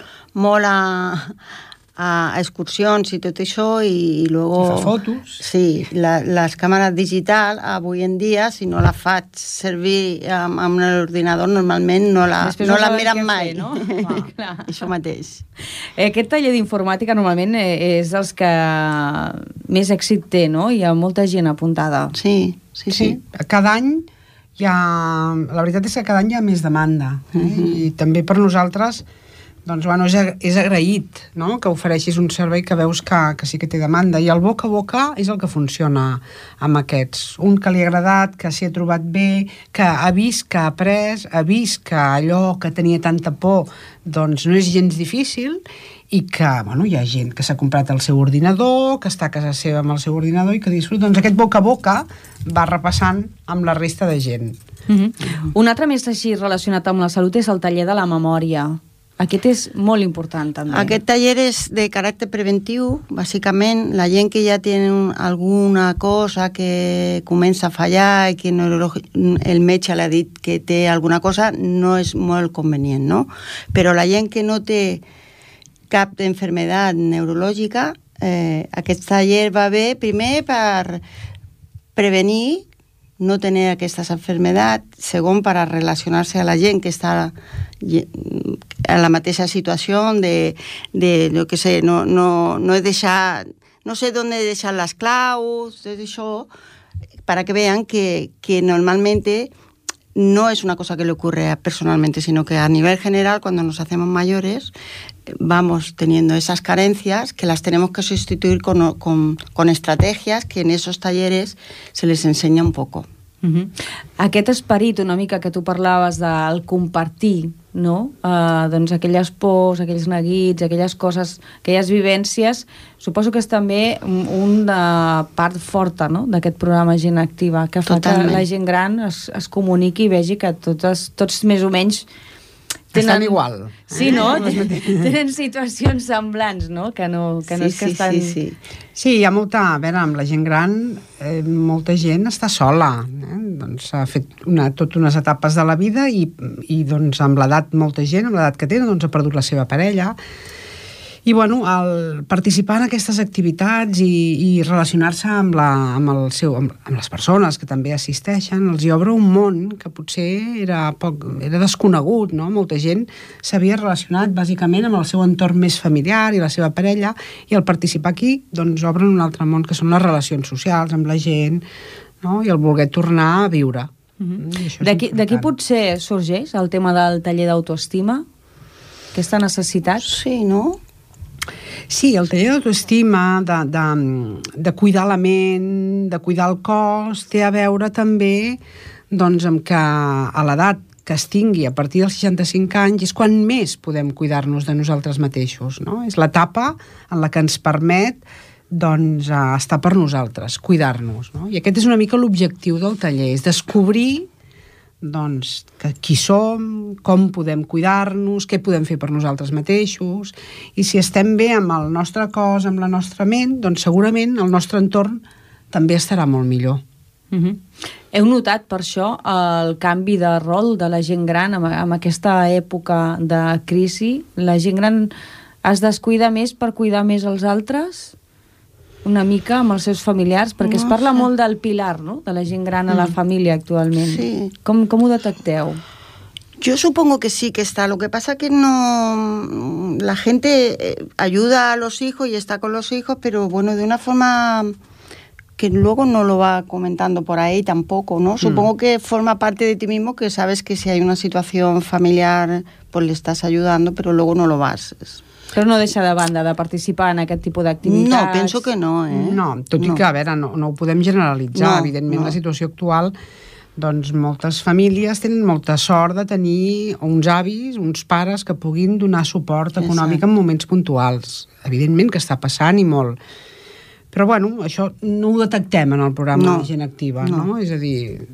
Speaker 10: a excursions i tot això i luego...
Speaker 9: Fa fotos.
Speaker 10: Sí, les càmeres digitals avui en dia, si no la faig servir amb l'ordinador, normalment no la miren mai.
Speaker 2: No?
Speaker 10: Això mateix.
Speaker 2: Aquest taller d'informàtica normalment és els que més èxit té, no? Hi ha molta gent apuntada.
Speaker 10: Sí.
Speaker 9: Cada any la veritat és que cada any hi ha més demanda. I també per nosaltres doncs, bueno, és agraït, no?, que ofereixis un servei que veus que sí que té demanda. I el boca a boca és el que funciona amb aquests. Un que li ha agradat, que s'hi ha trobat bé, que ha vist que ha après, ha vist que allò que tenia tanta por doncs no és gens difícil i que, bueno, hi ha gent que s'ha comprat el seu ordinador, que està a casa seva amb el seu ordinador i que disfruta. Doncs aquest boca a boca va repassant amb la resta de gent.
Speaker 2: Un altre més així relacionat amb la salut és el taller de la memòria. Aquest és molt important, també.
Speaker 10: Aquest taller és de caràcter preventiu, bàsicament. La gent que ja té alguna cosa que comença a fallar i que el metge l'ha dit que té alguna cosa, no és molt convenient, no? Però la gent que no té cap enfermedad neurològica, aquest taller va bé, primer, per prevenir no tenir aquestes enfermedats, segon, per a relacionar-se a la gent que està en la mateixa situació de jo què sé, no deixar, no sé on deixar les claus, tot això, para que vean que normalmente no es una cosa que le ocurre personalmente, sino que a nivel general, cuando nos hacemos mayores, vamos teniendo esas carencias que las tenemos que sustituir con estrategias que en esos talleres se les enseña un poco.
Speaker 2: Aquest esperit una mica que tu parlaves del compartir, no? Doncs aquelles pors, aquells neguits, aquelles coses, aquelles vivències, suposo que és també una part forta, no?, d'aquest programa Gent Activa, que fa que la gent gran es comuniqui i vegi que tots més o menys
Speaker 9: estan igual.
Speaker 2: Sí, no? Tenen situacions semblants, no? Que no és que estan...
Speaker 9: Sí, hi ha molta... A veure, amb la gent gran, molta gent està sola. Doncs ha fet tot unes etapes de la vida i doncs amb l'edat, molta gent, amb l'edat que té, doncs ha perdut la seva parella. I, bueno, al participar en aquestes activitats i relacionar-se amb les persones que també assisteixen, els hi obre un món que potser era desconegut, no? Molta gent s'havia relacionat bàsicament amb el seu entorn més familiar i la seva parella, i al participar aquí, doncs obren un altre món, que són les relacions socials amb la gent, no? I el voler tornar a viure.
Speaker 2: D'aquí potser sorgeix el tema del taller d'autoestima? Aquesta necessitat?
Speaker 10: Sí, no?
Speaker 9: Sí, el taller d'autoestima, de cuidar la ment, de cuidar el cos, té a veure també doncs, amb que a l'edat que es tingui a partir dels 65 anys és quan més podem cuidar-nos de nosaltres mateixos, no? És l'etapa en la que ens permet doncs, estar per nosaltres, cuidar-nos, no? I aquest és una mica l'objectiu del taller, és descobrir doncs, qui som, com podem cuidar-nos, què podem fer per nosaltres mateixos, i si estem bé amb el nostre cos, amb la nostra ment, doncs segurament el nostre entorn també estarà molt millor.
Speaker 2: Heu notat per això el canvi de rol de la gent gran en aquesta època de crisi? La gent gran es descuida més per cuidar més els altres? Una mica amb els seus familiars, perquè es parla molt del pilar, no?, de la gent gran a la família actualment.
Speaker 10: Sí.
Speaker 2: Com ho detecteu?
Speaker 10: Yo supongo que sí que está. Lo que pasa que no... La gente ayuda a los hijos y está con los hijos, pero bueno, de una forma que luego no lo va comentando por ahí tampoco, ¿no? Supongo que forma parte de ti mismo, que sabes que si hay una situación familiar, pues le estás ayudando, pero luego no lo vas...
Speaker 2: Però no deixa de banda de participar en aquest tipus d'activitats?
Speaker 10: No, penso que no,
Speaker 9: No, tot i que, a veure, no ho podem generalitzar. Evidentment, la situació actual doncs moltes famílies tenen molta sort de tenir uns avis, uns pares que puguin donar suport econòmic en moments puntuals. Evidentment que està passant i molt. Però, bueno, això no ho detectem en el programa de Gent Activa, no? És a dir,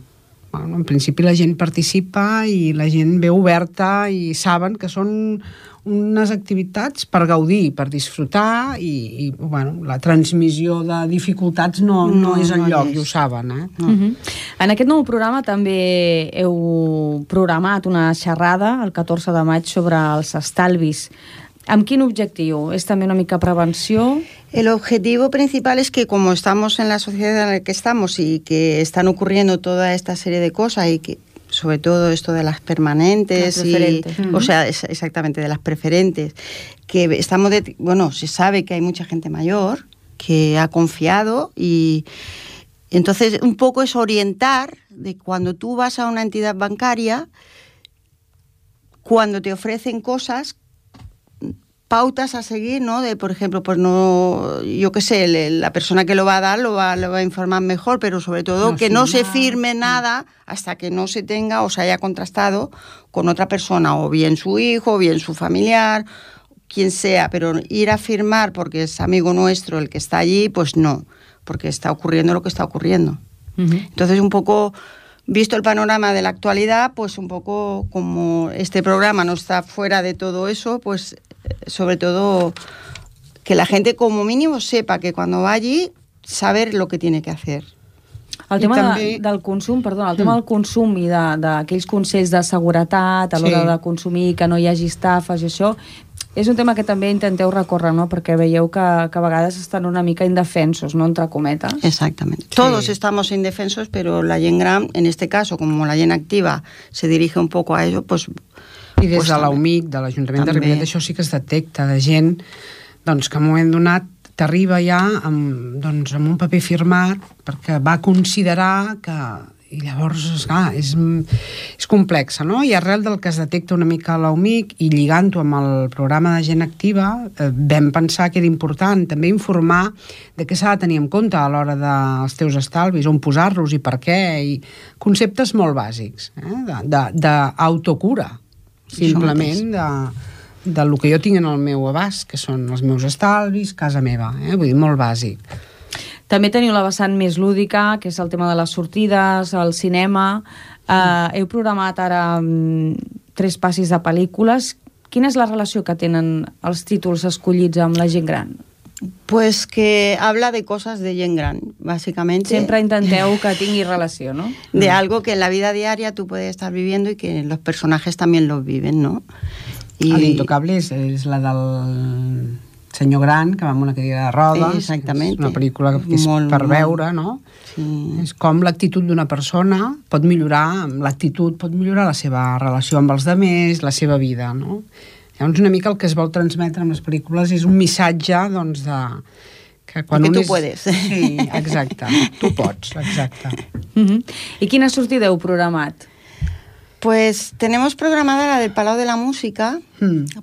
Speaker 9: bueno, en principi la gent participa i la gent ve oberta i saben que són unes activitats per gaudir, per disfrutar i bueno, la transmissió de dificultats no és el lloc, i ho saben,
Speaker 2: En aquest nou programa també heu programat una xerrada el 14 de maig sobre els estalvis. ¿Amb quin objectiu? ¿Es también una mica prevenció?
Speaker 10: El objetivo principal es que como estamos en la sociedad en la que estamos y que están ocurriendo toda esta serie de cosas y que sobre todo esto de las permanentes o sea, exactamente de las preferentes, que estamos bueno, se sabe que hay mucha gente mayor que ha confiado y entonces un poco es orientar de cuando tú vas a una entidad bancaria, cuando te ofrecen cosas, pautas a seguir, ¿no? De, por ejemplo, pues no, yo qué sé, la persona que lo va a dar lo va a informar mejor, pero sobre todo que no se firme nada hasta que no se tenga o se haya contrastado con otra persona, o bien su hijo, o bien su familiar, quien sea, pero ir a firmar porque es amigo nuestro el que está allí, pues no, porque está ocurriendo lo que está ocurriendo. Entonces, un poco, visto el panorama de la actualidad, pues un poco como este programa no está fuera de todo eso, pues sobre todo que la gente como mínimo sepa que cuando va allí saber lo que tiene que hacer.
Speaker 2: El tema del consum, perdona, el tema del consum i d'aquells consells de seguretat a l'hora de consumir, que no hi hagi estafes i això, és un tema que també intenteu recórrer, no? Perquè veieu que a vegades estan una mica indefensos, no? Entre cometes.
Speaker 10: Exactamente. Todos estamos indefensos, pero la gent gran, en este caso, como la gent activa se dirige un poco a ello, pues...
Speaker 9: I des de l'UMIC, de l'Ajuntament de Ripollet, això sí que es detecta, de gent doncs, que en un moment donat t'arriba ja amb un paper firmat perquè va considerar que... I llavors, esclar, és complexa, no? I arrel del que es detecta una mica a l'UMIC i lligant-ho amb el programa de Gent Activa, vam pensar que era important també informar de què s'ha de tenir en compte a l'hora dels teus estalvis, on posar-los i per què, i conceptes molt bàsics, d'autocura, simplement, de lo que jo tinc en el meu abast, que són els meus estalvis, casa meva, vull dir, molt bàsic.
Speaker 2: També teniu la vessant més lúdica, que és el tema de les sortides, el cinema. Heu programat ara 3 passis de pel·lícules. Quina és la relació que tenen els títols escollits amb la gent gran?
Speaker 10: Pues que habla de cosas de gent gran, básicamente.
Speaker 2: Siempre intenteu que tingui relació, ¿no?
Speaker 10: De algo que en la vida diaria tú puedes estar viviendo y que los personajes también lo viven, ¿no?
Speaker 9: L'Intocable és la del... senyor gran, que va amb una cadira de rodes.
Speaker 10: Exactament.
Speaker 9: És una pel·lícula que és per veure, no? Sí. És com l'actitud d'una persona pot millorar, amb l'actitud pot millorar la seva relació amb els altres, la seva vida, no? Llavors, una mica el que es vol transmetre amb les pel·lícules és un missatge, doncs, de...
Speaker 10: Que tu puedes.
Speaker 9: Sí, exacte. Tu pots, exacte.
Speaker 2: I quina sortida heu programat?
Speaker 10: Pues tenemos programada la del Palau de la Música,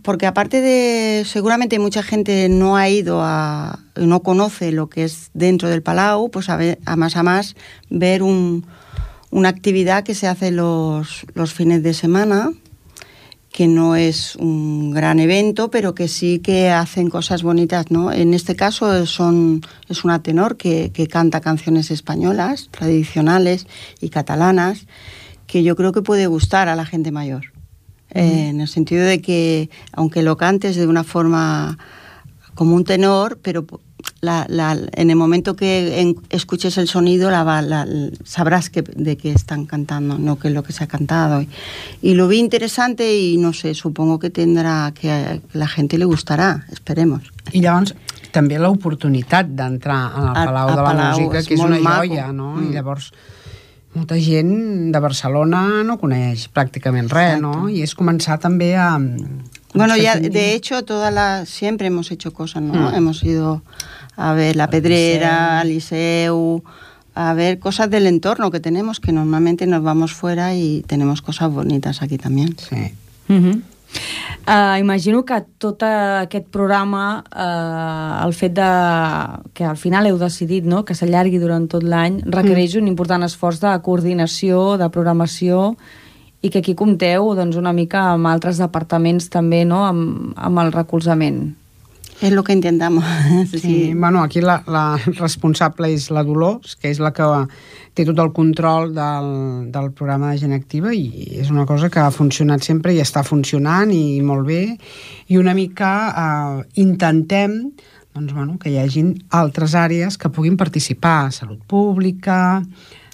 Speaker 10: porque aparte de, seguramente mucha gente no ha ido no conoce lo que es dentro del Palau, pues a más ver una actividad que se hace los fines de semana, que no es un gran evento, pero que sí que hacen cosas bonitas, ¿no? En este caso es una tenor que canta canciones españolas, tradicionales y catalanas, que yo creo que puede gustar a la gente mayor. En el sentido de que, aunque lo cantes de una forma como un tenor, pero en el momento que escuches el sonido sabrás de qué están cantando, no qué es lo que se ha cantado. Y lo vi interesante y, no sé, supongo que tendrá que la gente le gustarà, esperemos.
Speaker 9: I llavors, també l'oportunitat d'entrar al Palau de la Música, que és una joia, no? I llavors... molta gent de Barcelona no coneix pràcticament res, ¿no? Y es començar també a...
Speaker 10: Bueno, ya de hecho siempre hemos hecho cosas, ¿no? Hemos ido a ver la Pedrera, al Liceu, a ver cosas del entorno que tenemos, que normalmente nos vamos fuera y tenemos cosas bonitas aquí también.
Speaker 9: Sí.
Speaker 2: Imagino que tot aquest programa, el fet de que al final heu decidit, no?, que s'allargui durant tot l'any, requereix un important esforç de coordinació, de programació, i que aquí compteu doncs, una mica amb altres departaments també, no?, amb el recolzament.
Speaker 10: És el que intentamos.
Speaker 9: Sí, bueno, aquí la responsable és la Dolors, que és la que té tot el control del programa de Gent Activa, i és una cosa que ha funcionat sempre i està funcionant i molt bé, i una mica intentem doncs, bueno, que hi hagin altres àrees que puguin participar, salut pública,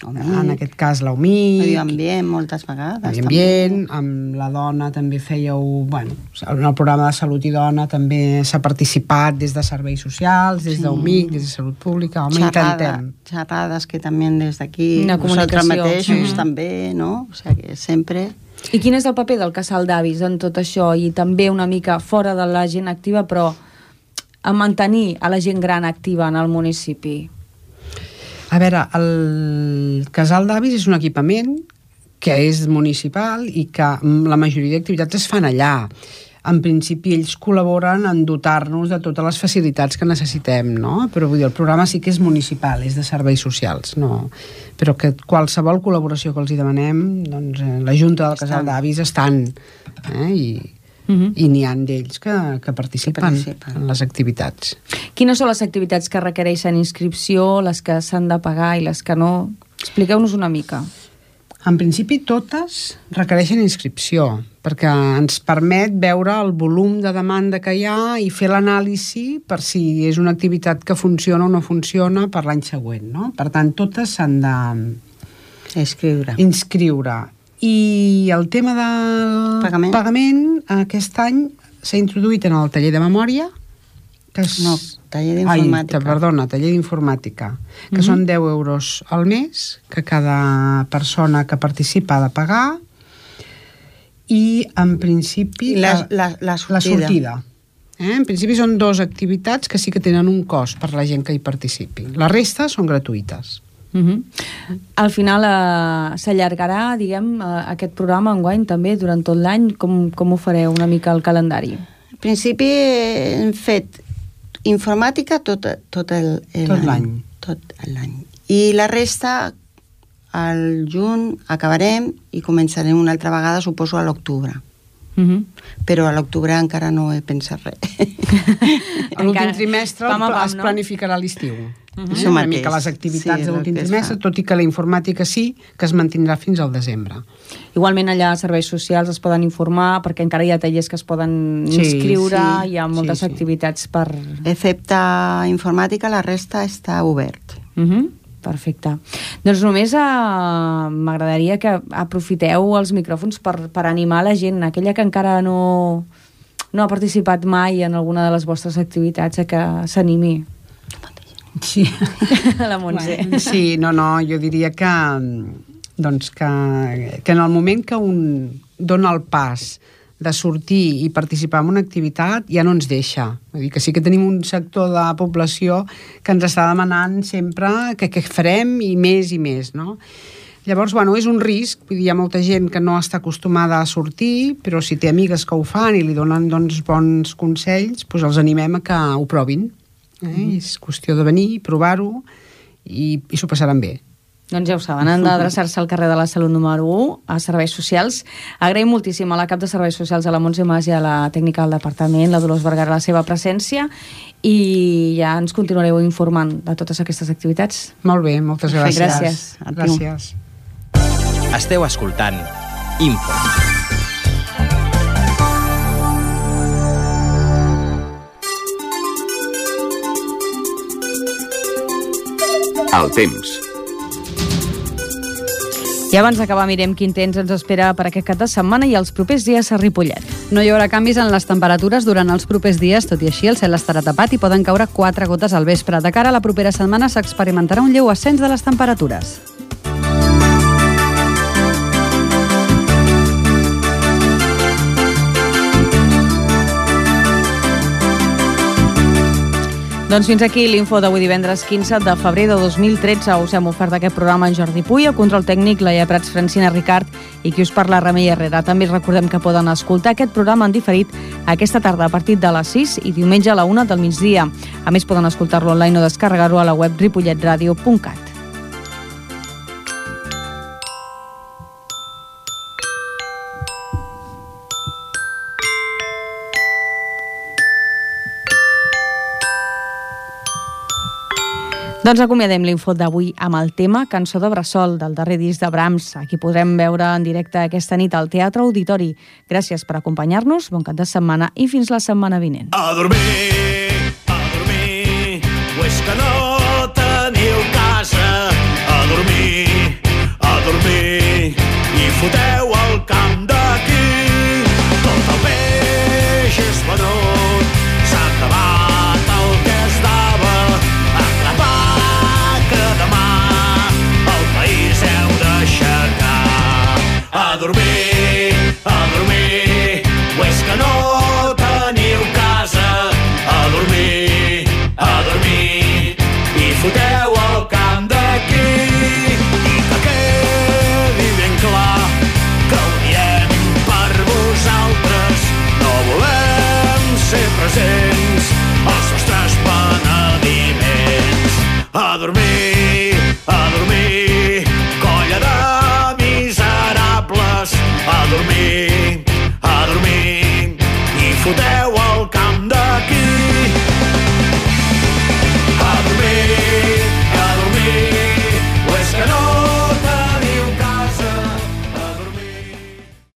Speaker 9: en aquest cas l'UMIC,
Speaker 10: medi ambient moltes vegades,
Speaker 9: medi ambient, amb la dona també fèieu, bueno, en el programa de salut i dona també s'ha participat des de serveis socials, des d'UMIC, des de salut pública, intentem.
Speaker 10: Xerrades que també des d'aquí,
Speaker 2: vosaltres
Speaker 10: mateixos també, no? O sigui que sempre...
Speaker 2: I quin és el paper del casal d'avis en tot això, i també una mica fora de la gent activa, però a mantenir a la gent gran activa en el municipi?
Speaker 9: A veure, el casal d'avis és un equipament que és municipal i que la majoria d'activitats es fan allà. En principi ells col·laboren en dotar-nos de totes les facilitats que necessitem, no? Però vull dir, el programa sí que és municipal, és de serveis socials, no? Però que qualsevol col·laboració que els hi demanem, doncs la Junta del Casal d'Avis estan, i n'hi ha d'ells que participen en les activitats.
Speaker 2: Quines són les activitats que requereixen inscripció, les que s'han de pagar i les que no? Expliqueu-nos una mica.
Speaker 9: En principi totes requereixen inscripció, perquè ens permet veure el volum de demanda que hi ha i fer l'anàlisi per si és una activitat que funciona o no funciona per l'any següent, no? Per tant, totes s'han de inscriure. I el tema del pagament aquest any s'ha introduït en el taller de memòria, que és...
Speaker 10: No, taller d'informàtica.
Speaker 9: Taller d'informàtica, que són 10 euros al mes, que cada persona que participa ha de pagar, i en principi...
Speaker 10: La sortida.
Speaker 9: En principi són 2 activitats que sí que tenen un cost per la gent que hi participi. La resta són gratuïtes.
Speaker 2: Al final s'allargarà, diguem, aquest programa enguany també durant tot l'any. Com ho fareu una mica el calendari?
Speaker 10: En principi hem fet informàtica tot l'any. I la resta al juny acabarem i començarem una altra vegada, suposo, a l'octubre. Però a l'octubre encara no he pensat res.
Speaker 9: A l'últim trimestre es planificarà l'estiu. Una mica les activitats de l'últim trimestre, tot i que la informàtica sí, que es mantindrà fins al desembre.
Speaker 2: Igualment allà a serveis socials es poden informar, perquè encara hi ha tallers que es poden inscriure, hi ha moltes activitats per...
Speaker 10: Excepte informàtica, la resta està obert.
Speaker 2: Perfecte. Doncs només m'agradaria que aprofiteu els micròfons per animar la gent, aquella que encara no ha participat mai en alguna de les vostres activitats, a que s'animi.
Speaker 9: Sí.
Speaker 2: La Montse.
Speaker 9: Sí, no, jo diria que en el moment que un dona el pas de sortir i participar en una activitat ja no ens deixa. Vull dir que sí que tenim un sector de població que ens està demanant sempre que farem i més, no? Llavors, és un risc, vull dir, hi ha molta gent que no està acostumada a sortir, però si té amigues que ho fan i li donen bons consells, doncs els animem a que ho provin. És qüestió de venir, provar-ho i s'ho passaran bé.
Speaker 2: Doncs ja ho saben, han d'adreçar-se al carrer de la Salut número 1 a Serveis Socials. Agraïm moltíssim a la cap de Serveis Socials, a la Montse Mas, i a la tècnica del departament, la Dolors Vergara, la seva presència, i ja ens continuareu informant de totes aquestes activitats.
Speaker 9: Molt bé, moltes gràcies.
Speaker 2: Gràcies.
Speaker 1: Esteu escoltant Info.
Speaker 7: El temps.
Speaker 2: I abans d'acabar mirem quin temps ens espera per aquest cap de setmana i els propers dies a Ripollet.
Speaker 4: No hi haurà canvis en les temperatures durant els propers dies, tot i així el cel estarà tapat i poden caure 4 gotes al vespre. De cara a la propera setmana s'experimentarà un lleu ascens de les temperatures.
Speaker 2: Doncs fins aquí l'info d'avui divendres 15 de febrer de 2013. Us hem ofert aquest programa en Jordi Puy, el control tècnic Laia Prats, Francina Ricard i qui us parla Remei Herrera. També recordem que poden escoltar aquest programa en diferit aquesta tarda a partir de les 6 i diumenge a la 1 del migdia. A més, poden escoltar-lo online o descarregar-ho a la web ripolletradio.cat. Doncs acomiadem l'info d'avui amb el tema Cançó de Bressol, del darrer disc de Brahms. Aquí podrem veure en directe aquesta nit al Teatre Auditori. Gràcies per acompanyar-nos, bon cap de setmana i fins la setmana vinent.
Speaker 11: A dormir, o és que no teniu casa? A dormir, i foteu el camp d'aquí. Tot el peix és venut, s'ha acabat el que es dava. A dormir,